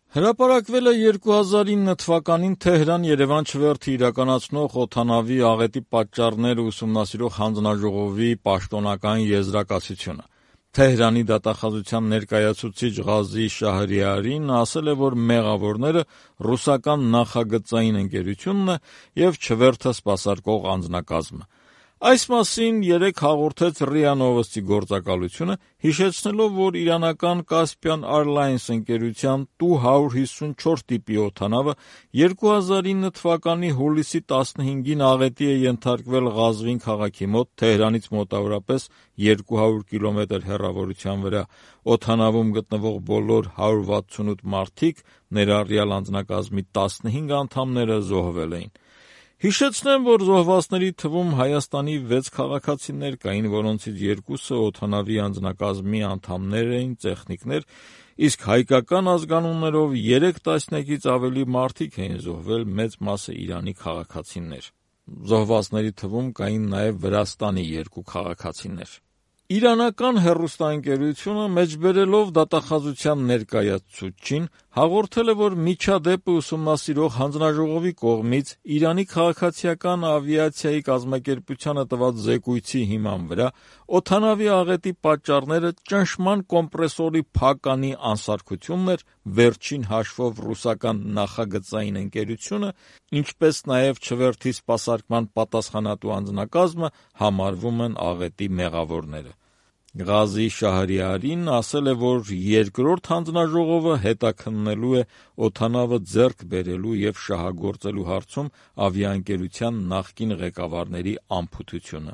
Հրապարակվել է 2009 թվականին Թեհրան-Երևան չվերթը իրականացնող օդանավի աղետի պատճառները ուսումնասիրող հանձնաժողովի պաշտոնական եզրակացությունը։ Թեհրանի դատախազության ներկայացուցիչ Ղազի Շահրիարին ասել է, որ մեղավորները ռուսական նախագծային ընկերությունն է և չվերթը սպասարկող անձնակազմը։ Այս մասին երեկ հաղորդեց ՌԻԱ Նովոստի գործակալությունը, հիշեցնելով, որ իրանական Caspian Airlines ընկերության Tu-154 տիպի օդանավը 2009 թվականի հուլիսի 15-ին աղետի է ենթարկվել Ղազվին քաղաքի մոտ, Թեհրանից մոտավորապես 200 կիլոմետր հեռավորության վրա։ Օդանավում գտնվող բոլոր 168 մարդիկ, ներառյալ անձնակազմի 15 անդամները, զոհվել էին։ Հիշեցնեմ, որ զոհվածների թվում Հայաստանի 6 քաղաքացիներ կային, որոնցից 2-ը օդանավի անձնակազմի անդամներ էին, տեխնիկներ, իսկ հայկական ազգանուններով 3 տասնյակից ավելի մարդիկ էին զոհվել, մեծ մասը Իրանի քաղաքացիներ։ Զոհվածների թվում կային նաև Վրաստանի 2 քաղաքացիներ։ Իրանական հեռուստաընկերությունը, մեջբերելով դատախազության ներկայացուցչին, հաղորդել է, որ միջադեպը ուսումնասիրող հանձնաժողովի կողմից Իրանի քաղաքացիական ավիացիայի կազմակերպությանը տված զեկույցի հիման վրա օդանավի աղետի պատճառները ճնշման կոմպրեսորի փականի անսարքությունն էր, վերջին հաշվով ռուսական նախագծային ընկերությունը, ինչպես նաև չվերթի սպասարկման պատասխանատու անձնակազմը համարվում են աղետի մեղավորները։ Ղազի Շահրիարին ասել է, որ երկրորդ հանձնաժողովը հետաքննելու է օդանավը ձեռք բերելու և շահագործելու հարցում ավիաընկերության նախկին ղեկավարների անփութությունը։